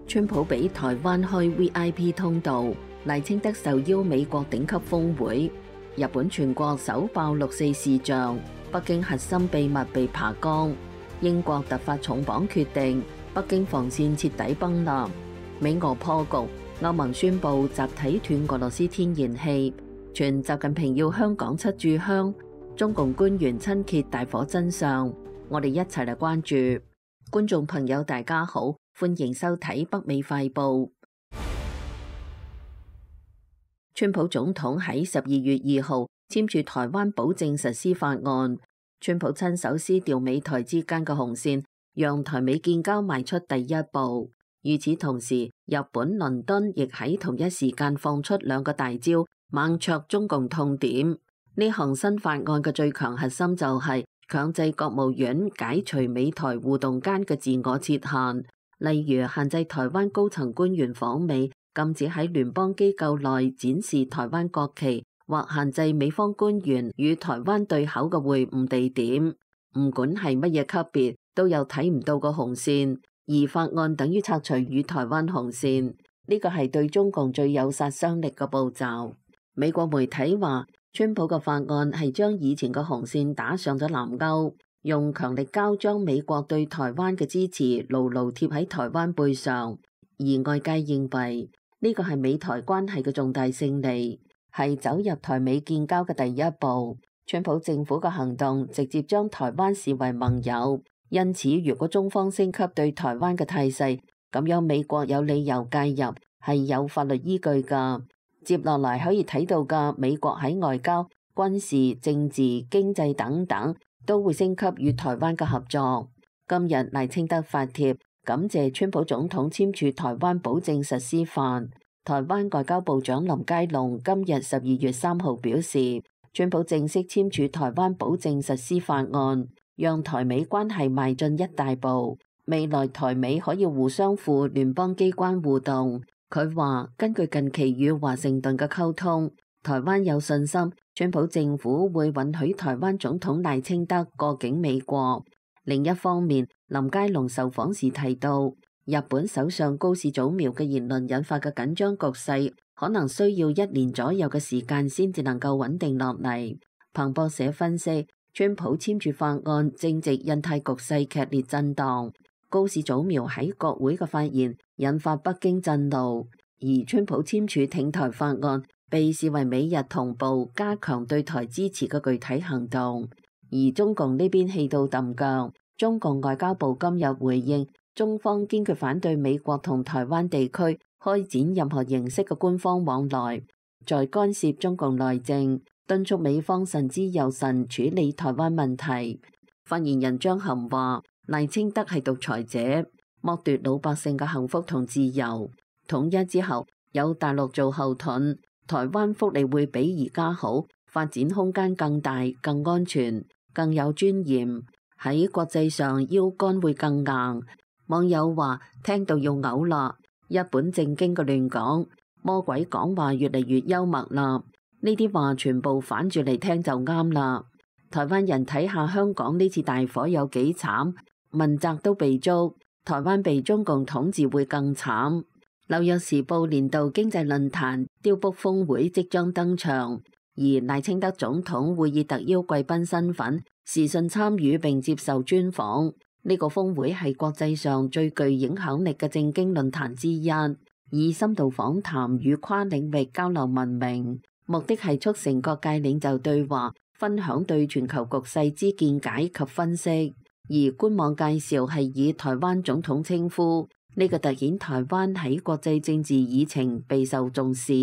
川普俾台灣開 VIP 通道，賴清德受邀美國頂級峰會。日本全國首爆6.4視像，北京核心秘密被扒光。英國突發重磅決定，北京防線徹底崩立。美俄破局，歐盟宣布集體斷俄羅斯天然氣。傳習近平要香港7炷香，中共官員親揭大火真相。我哋一齊嚟關注。觀眾朋友大家好，歡迎收睇北美快報。川普總統喺12月2號簽署台灣保證實施法案，川普親手撕掉美台之間嘅紅線，讓台美建交邁出第一步。與此同時，日本倫敦亦喺同一時間放出2個大招，猛戳中共痛點。呢項新法案嘅最強核心就係強制國務院解除美台互動間嘅自我設限，例如限制台灣高層官員訪美，禁止喺聯邦機構內展示台灣國旗，或限制美方官員與台灣對口嘅會晤地點。唔管係乜嘢級別，都有睇唔到個紅線，而法案等於拆除與台灣紅線，呢個係對中共最有殺傷力嘅步驟。美國媒體話，川普嘅法案係將以前嘅紅線打上咗藍勾，用強力膠將美國對台灣嘅支持牢牢貼喺台灣背上。而外界認為呢個係美台關係嘅重大勝利，係走入台美建交嘅第一步。川普政府嘅行動直接將台灣視為盟友，因此如果中方升級對台灣嘅態勢，咁樣美國有理由介入，係有法律依據㗎。接落嚟可以睇到嘅美國喺外交、軍事、政治、經濟等等都會升級與台灣嘅合作。今日賴清德發帖感謝川普總統簽署台灣保證實施法。台灣外交部長林佳龍今日12月3號表示，川普正式簽署台灣保證實施法案，讓台美關係邁進一大步。未來台美可以互相赴聯邦機關互動。佢話根據近期與華盛頓嘅溝通，台灣有信心川普政府會允許台灣總統賴清德過境美國。另一方面，林佳龍受訪時提到，日本首相高市早苗嘅言論引發嘅緊張局勢，可能需要1年左右嘅時間先至能夠穩定落嚟。彭博社分析，川普簽署法案正值印太局勢劇烈震盪。高市早苗喺國會嘅發言引發北京震怒，而川普簽署挺台法案被視為美日同步加強對台支持嘅具體行動。而中共呢邊氣到揼腳，中共外交部今日回應，中方堅決反對美國同台灣地區開展任何形式嘅官方往來，在干涉中共內政，敦促美方慎之又慎處理台灣問題。發言人張含話，賴清德係獨裁者，剝奪老百姓嘅幸福同自由。統一之後，有大陸做後盾，台灣福利會比而家好，發展空間更大、更安全、更有尊嚴。喺國際上腰桿會更硬。網友話聽到要嘔啦，一本正經嘅亂講，魔鬼講話越嚟越幽默啦。呢啲話全部反住嚟聽就啱啦。台灣人睇下香港呢次大火有幾慘，問責都被捉，台灣被中共統治會更慘。紐約時報年度經濟論壇雕卜峰會即將登場，而賴清德總統會以特邀貴賓身份視訊參與並接受專訪。呢個峰會係國際上最具影響力嘅政經論壇之一，以深度訪談與跨領域交流聞名，目的係促成各界領袖對話，分享對全球局勢之見解及分析。而官網介紹係以台灣總統稱呼，呢個凸顯台灣喺國際政治議程備受重視，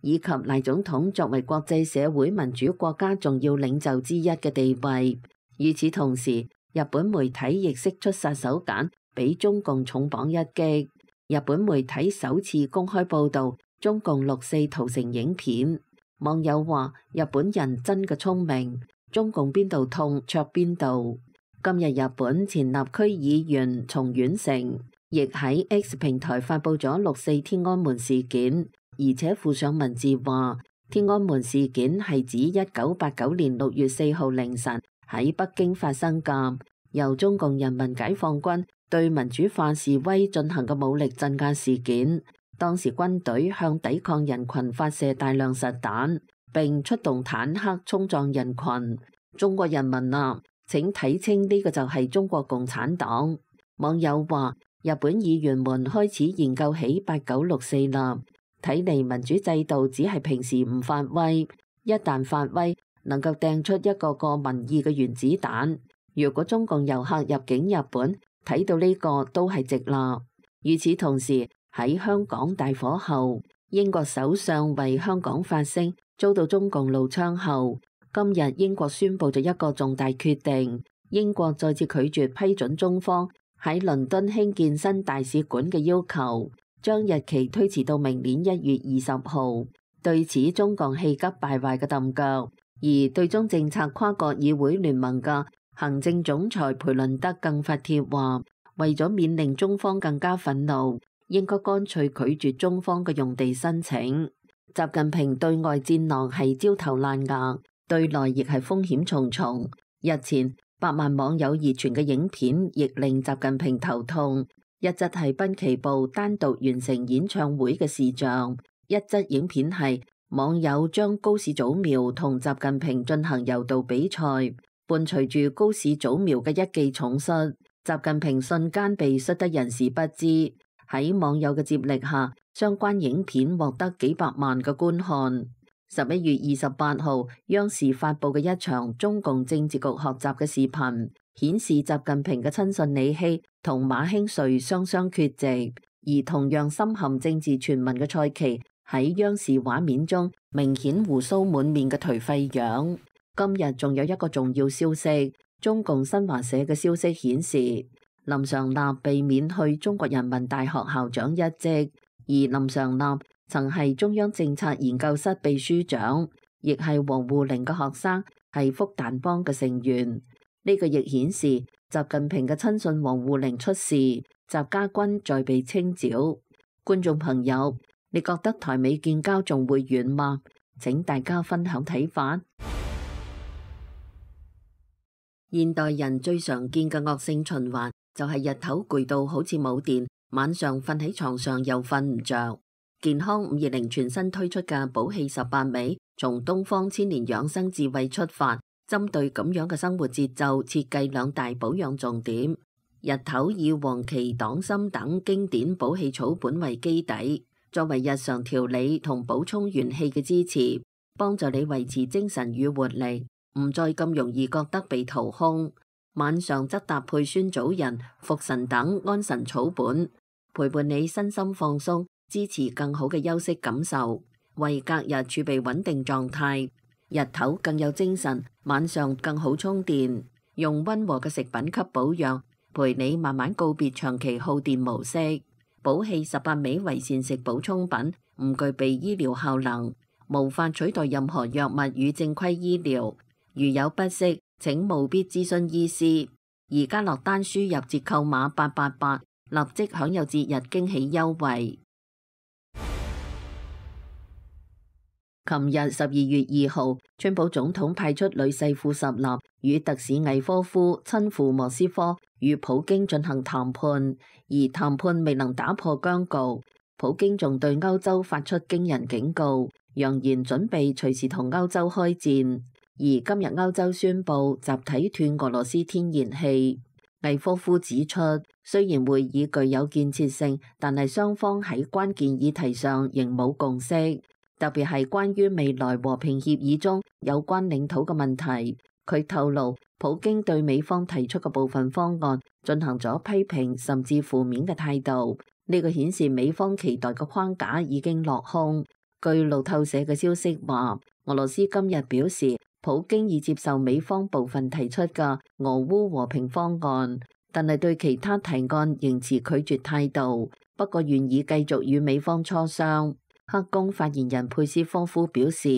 以及賴總統作為國際社會民主國家重要領袖之一嘅地位。與此同時，日本媒體亦釋出殺手鐧，俾中共重磅一擊。日本媒體首次公開報導中共6.4屠城影片。網友話：日本人真嘅聰明，中共邊度痛戳邊度。今日日本前立區議員松丸成亦喺 X 平台發布咗6.4天安門事件，而且附上文字話：天安門事件係指1989年6月4號凌晨喺北京發生㗎，由中共人民解放軍對民主化示威進行嘅武力鎮壓事件。當時軍隊向抵抗人群發射大量實彈，並出動坦克衝撞人群。中國人民啊，請睇清呢個就係中國共產黨。網友話：日本議員們開始研究起8964啦，睇嚟民主制度只係平時唔發威，一旦發威，能夠掟出一個個民意嘅原子彈。如果中共遊客入境日本，睇到呢個都係值啦。與此同時，喺香港大火後，英國首相為香港發聲，遭到中共怒槍後，今日英國宣布咗一個重大決定，英國再次拒絕批准中方喺倫敦興建新大使館嘅要求，將日期推遲到明年1月20號。對此，中共氣急敗壞嘅揼腳，而對中政策跨國議會聯盟嘅行政總裁培倫德更發帖話，為咗免令中方更加憤怒，應該乾脆拒絕中方嘅用地申請。習近平對外戰狼係焦頭爛額，對內亦係風險重重。日前百萬網友熱傳嘅影片亦令習近平頭痛，一則係濱崎步單獨完成演唱會嘅視像，一則影片係網友將高市早苗同習近平進行柔道比賽，伴隨住高市早苗嘅一記重摔，習近平瞬間被摔得人事不知。喺網友嘅接力下，相關影片獲得幾百萬嘅觀看。11月28號，央視發佈嘅一場中共政治局學習嘅視頻，顯示習近平嘅親信李希同馬興瑞雙雙缺席，而同樣深陷政治傳聞嘅蔡奇喺央視畫面中明顯鬍鬚滿面嘅頹廢樣。今日仲有一個重要消息，中共新華社嘅消息顯示，林常立被免去中國人民大學校長一職，而林常立曾係中央政策研究室秘書長，亦係王滬寧嘅學生，係復旦幫嘅成員。呢個亦顯示習近平嘅親信王滬寧出事，習家軍再被清剿。觀眾朋友，你覺得台美建交仲會遠嗎？請大家分享睇法。現代人最常見嘅惡性循環就係日頭攰到好似冇電，晚上瞓喺床上又瞓唔着。健康520全新推出嘅補氣18味，從東方千年養生智慧出發，針對咁樣嘅生活節奏，設計2大保養重點。日頭以黃芪、黨參等經典補氣草本為基底，作為日常調理同補充元氣嘅支持，幫助你維持精神與活力，唔再咁容易覺得被掏空。晚上則搭配酸棗仁、茯神等安神草本，陪伴你身心放鬆，支持更好嘅休息感受，為隔日儲備穩定狀態。日頭更有精神，晚上更好充電。用溫和嘅食品給保養，陪你慢慢告別長期耗電模式。補氣18味為膳食補充品，唔具備醫療效能，無法取代任何藥物與正規醫療。如有不適，請務必諮詢醫師。而家落單輸入折扣碼888，立即享有節日驚喜優惠。琴日12月2號，川普總統派出女婿庫什納與特使魏科夫親赴莫斯科與普京進行談判，而談判未能打破僵局。普京仲對歐洲發出驚人警告，揚言準備隨時同歐洲開戰。而今日歐洲宣布集體斷俄羅斯天然氣。魏科夫指出，雖然會議具有建設性，但係雙方喺關鍵議題上仍冇共識，特別係關於未來和平協議中有關領土嘅問題。佢透露，普京對美方提出嘅部分方案進行咗批評甚至負面嘅態度，呢個顯示美方期待嘅框架已經落空。據路透社嘅消息話，俄羅斯今日表示，普京已接受美方部分提出嘅俄烏和平方案，但係對其他提案仍持拒絕態度，不過願意繼續與美方磋商。黑宮發言人佩斯科夫表示，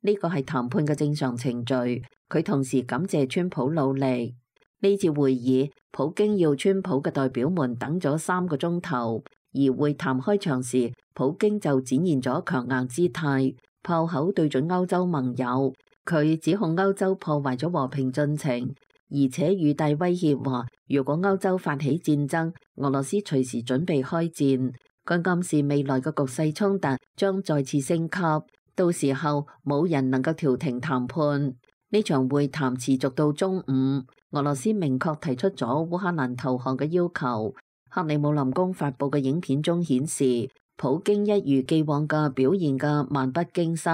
呢個係談判嘅正常程序。佢同時感謝川普努力。呢次會議，普京要川普嘅代表們等咗3個鐘頭，而會談開場時，普京就展現咗強硬姿態，炮口對準歐洲盟友。佢指控歐洲破壞咗和平進程，而且語帶威脅話，如果歐洲發起戰爭，俄羅斯隨時準備開戰。佢暗示未來嘅局勢衝突將再次升級，到時候冇人能夠調停談判。呢場會談持續到中午，俄羅斯明確提出咗烏克蘭投降嘅要求。克里姆林宮發布嘅影片中顯示，普京一如既往嘅表現嘅漫不經心，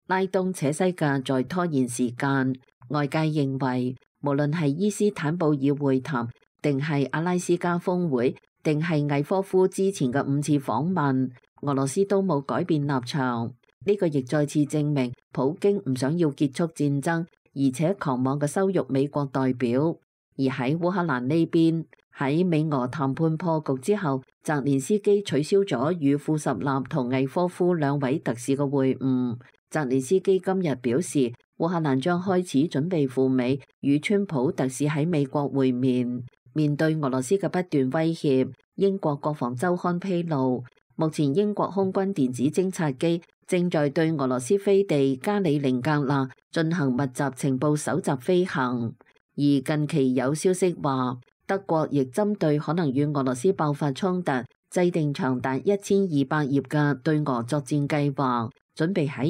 拉東扯西嘅在拖延時間。外界認為，無論係伊斯坦布爾會談，定係阿拉斯加峰會，定係魏科夫之前嘅5次訪問，俄羅斯都冇改變立場。呢個亦再次證明普京唔想要結束戰爭，而且狂妄嘅羞辱美國代表。而喺烏克蘭呢邊，喺美俄談判破局之後，澤連斯基取消咗與庫什納同魏科夫兩位特使嘅會晤。澤連斯基今日表示，烏克蘭將開始準備赴美與川普特使喺美國會面。面對俄羅斯嘅不斷威脅，英國國防週刊披露，目前英國空軍電子偵察機正在對俄羅斯飛地加里寧格勒進行密集情報搜集飛行。而近期有消息話，德國亦針對可能與俄羅斯爆發衝突，制定長達1200頁嘅對俄作戰計劃，準備喺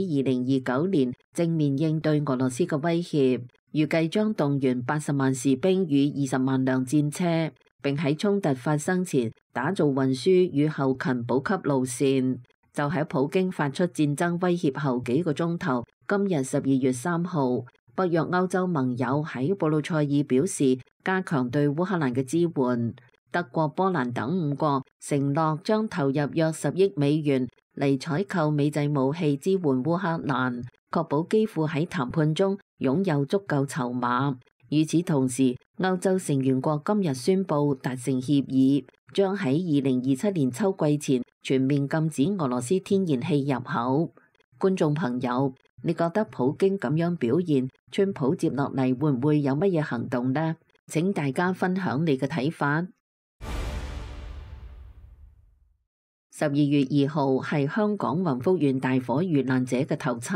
2029年正面應對俄羅斯嘅威脅。預計將動員80萬士兵與20萬輛戰車，並喺衝突發生前打造運輸與後勤補給路線。就喺普京發出戰爭威脅後幾個鐘頭，今日12月3號，北約歐洲盟友喺布魯塞爾表示加強對烏克蘭嘅支援。德國、波蘭等5國承諾將投入約10億美元嚟採購美製武器支援烏克蘭，確保基輔喺談判中擁有足夠籌碼。與此同時，歐洲成員國今日宣布達成協議，將喺2027年秋季前全面禁止俄羅斯天然氣入口。觀眾朋友，你覺得普京咁樣表現，川普接落嚟會唔會有乜嘢行動呢？請大家分享你嘅睇法。12月2號係香港宏福苑大火遇難者嘅頭七，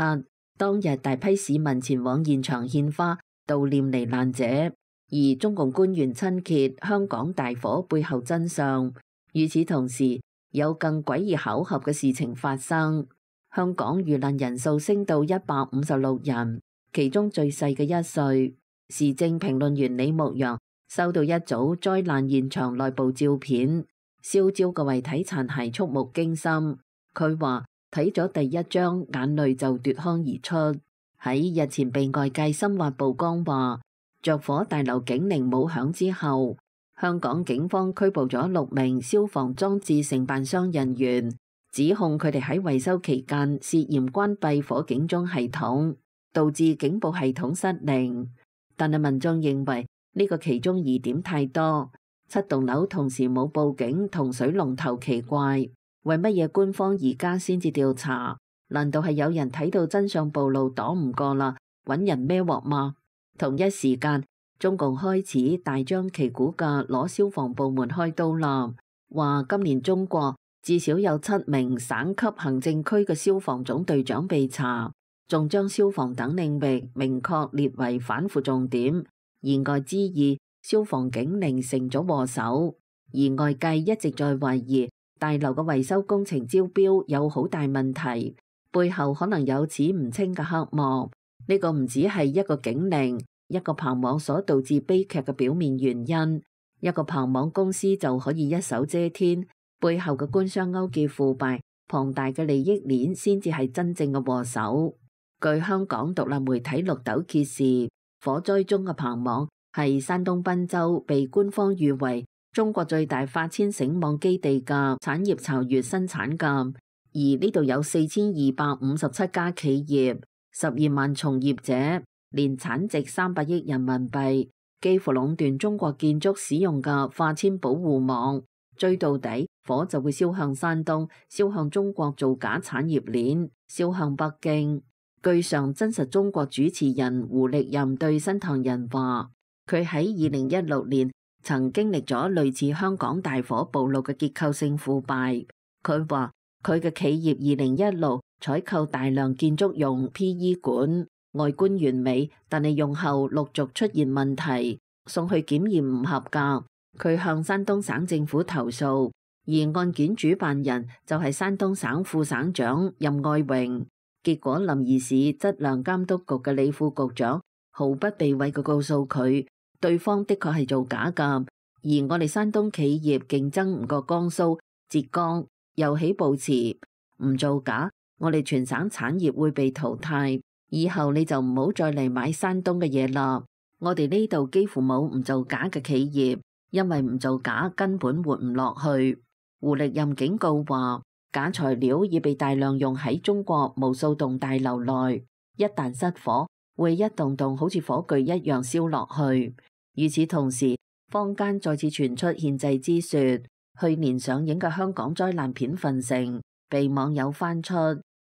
當日大批市民前往現場獻花悼念罹難者，而中共官員親揭香港大火背後真相。與此同時，有更詭異巧合嘅事情發生，香港遇難人數升到156人，其中最細嘅1歲。時政評論員李牧陽收到一組災難現場內部照片，燒焦嘅遺體殘骸觸目驚心。佢話睇咗第一張，眼淚就奪眶而出。喺日前被外界深挖曝光話着火大樓警鈴冇響之後，香港警方拘捕咗6名消防裝置承辦商人員，指控佢哋喺維修期間涉嫌關閉火警鐘系統，導致警報系統失靈。但係民眾認為呢個其中疑點太多，7棟樓同時冇報警同水龍頭奇怪，為乜嘢官方而家先至調查？難道係有人睇到真相暴露擋唔過啦，揾人孭鑊嗎？同一時間，中共開始大張旗鼓嘅攞消防部門開刀啦，話今年中國至少有7名省級行政區嘅消防總隊長被查，仲將消防等領域明確列為反腐重點，言外之意，消防警鈴成咗禍首。而外界一直在懷疑大樓嘅維修工程招標有好大問題，背後可能有此唔清嘅黑幕。呢個唔只係一個警鈴、一個棚網所導致悲劇嘅表面原因，一個棚網公司就可以一手遮天，背後嘅官商勾結腐敗、龐大嘅利益鏈先至係真正嘅禍首。據香港獨立媒體綠豆揭示，火災中嘅棚網係山東濱州被官方譽為中國最大化纖繩網基地嘅產業巢穴生產嘅，而呢度有4257家企業、12萬從業者，年產值300億人民幣，幾乎壟斷中國建築使用嘅化纖保護網。追到底，火就會燒向山東，燒向中國造假產業鏈，燒向北京。據上真實中國主持人胡力任對新唐人話，佢喺2016年曾經歷咗類似香港大火暴露嘅結構性腐敗。佢話佢嘅企業2016採購大量建築用 PE 管，外觀完美，但係用後陸續出現問題，送去檢驗唔合格，佢向山東省政府投訴，而案件主辦人就係山東省副省長任愛榮。結果臨沂市質量監督局嘅李副局長毫不避諱嘅告訴佢，對方的確係造假㗎，而我哋山東企業競爭唔過江蘇、浙江，又起步遲，唔造假，我哋全省產業會被淘汰，以後你就唔好再嚟買山東嘅嘢啦。我哋呢度幾乎冇唔造假嘅企業，因為唔造假根本活唔落去。胡力任警告話，假材料已被大量用喺中國無數棟大樓內，一旦失火，會一棟棟好似火炬一樣燒落去。與此同時，坊間再次傳出獻祭之說。去年上映嘅香港災難片《墳城》被網友翻出，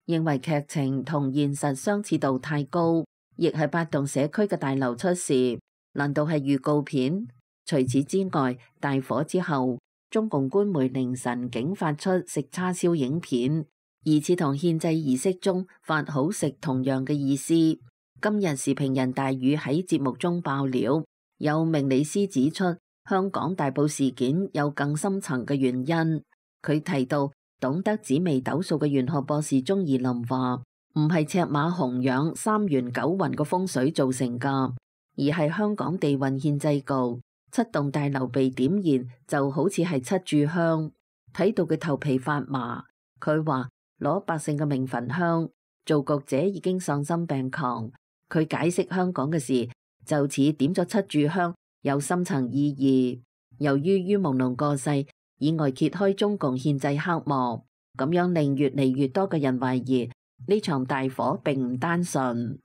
認為劇情同現實相似度太高，亦係8棟社區嘅大樓出事，難道係預告片？除此之外，大火之後，中共官媒凌晨竟發出食叉燒影片，疑似同獻祭儀式中發好食同樣嘅意思。今日時評人大宇喺節目中爆料，有命理師指出，香港大埔事件有更深層嘅原因。佢提到，懂得紫微斗數嘅玄學博士鍾義林話，唔係赤馬紅羊3元9運嘅風水造成㗎，而係香港地運獻祭局，7棟大樓被點燃就好似係7炷香，睇到佢頭皮發麻。佢話攞百姓嘅命焚香，造局者已經喪心病狂。佢解釋香港嘅事就似點咗7炷香，有深層意義。由於于朦朧過世，意外揭開中共獻祭黑幕，咁樣令越嚟越多嘅人懷疑呢場大火並唔單純。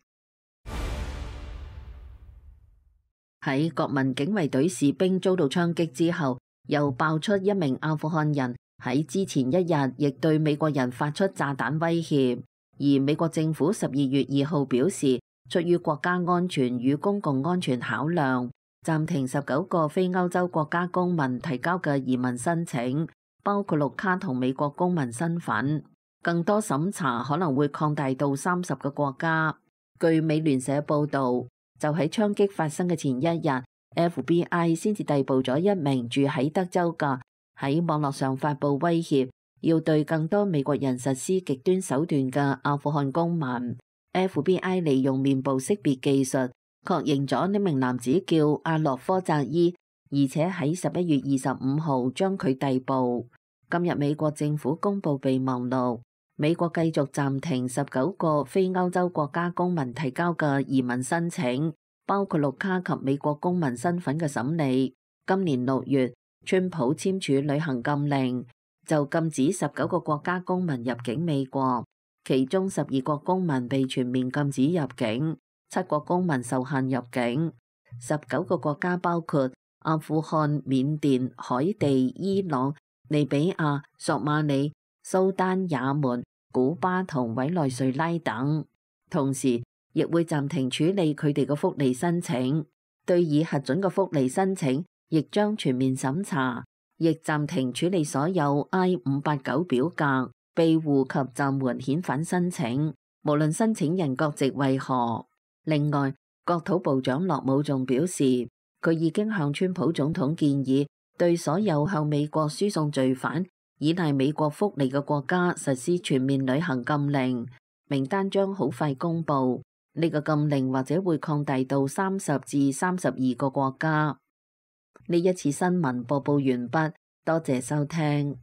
喺國民警衛隊士兵遭到槍擊之後，又爆出一名阿富汗人喺之前一日亦對美國人發出炸彈威脅，而美國政府12月2號表示，出於國家安全與公共安全考量，暫停19個非歐洲國家公民提交嘅移民申請，包括綠卡同美國公民身份。更多審查可能會擴大到30個國家。據美聯社報導，就喺槍擊發生嘅前一日， FBI 先至逮捕咗一名住喺德州嘅喺網絡上發布威脅，要對更多美國人實施極端手段嘅阿富汗公民。FBI 利用面部識別技術確認咗呢名男子叫阿洛科扎伊，而且喺11月25號將佢逮捕。今日美國政府公布備忘錄，美國繼續暫停19個非歐洲國家公民提交嘅移民申請，包括綠卡及美國公民身份嘅審理。今年6月，川普簽署旅行禁令，就禁止19個國家公民入境美國，其中12國公民被全面禁止入境，7國公民受限入境。19個國家包括阿富汗、緬甸、海地、伊朗、利比亞、索馬里、蘇丹、也門、古巴同委內瑞拉等，同時亦會暫停處理佢哋嘅福利申請，對已核准嘅福利申請亦將全面審查，亦暫停處理所有 I-589 表格、庇護及暫緩遣返申請，無論申請人國籍為何。另外，國土部長樂武仲表示，佢已經向川普總統建議，對所有向美國輸送罪犯、依賴美國福利嘅國家實施全面旅行禁令，名單將好快公布。呢個禁令或者會擴大到30至32個國家。呢一次新聞播報完畢，多謝收聽。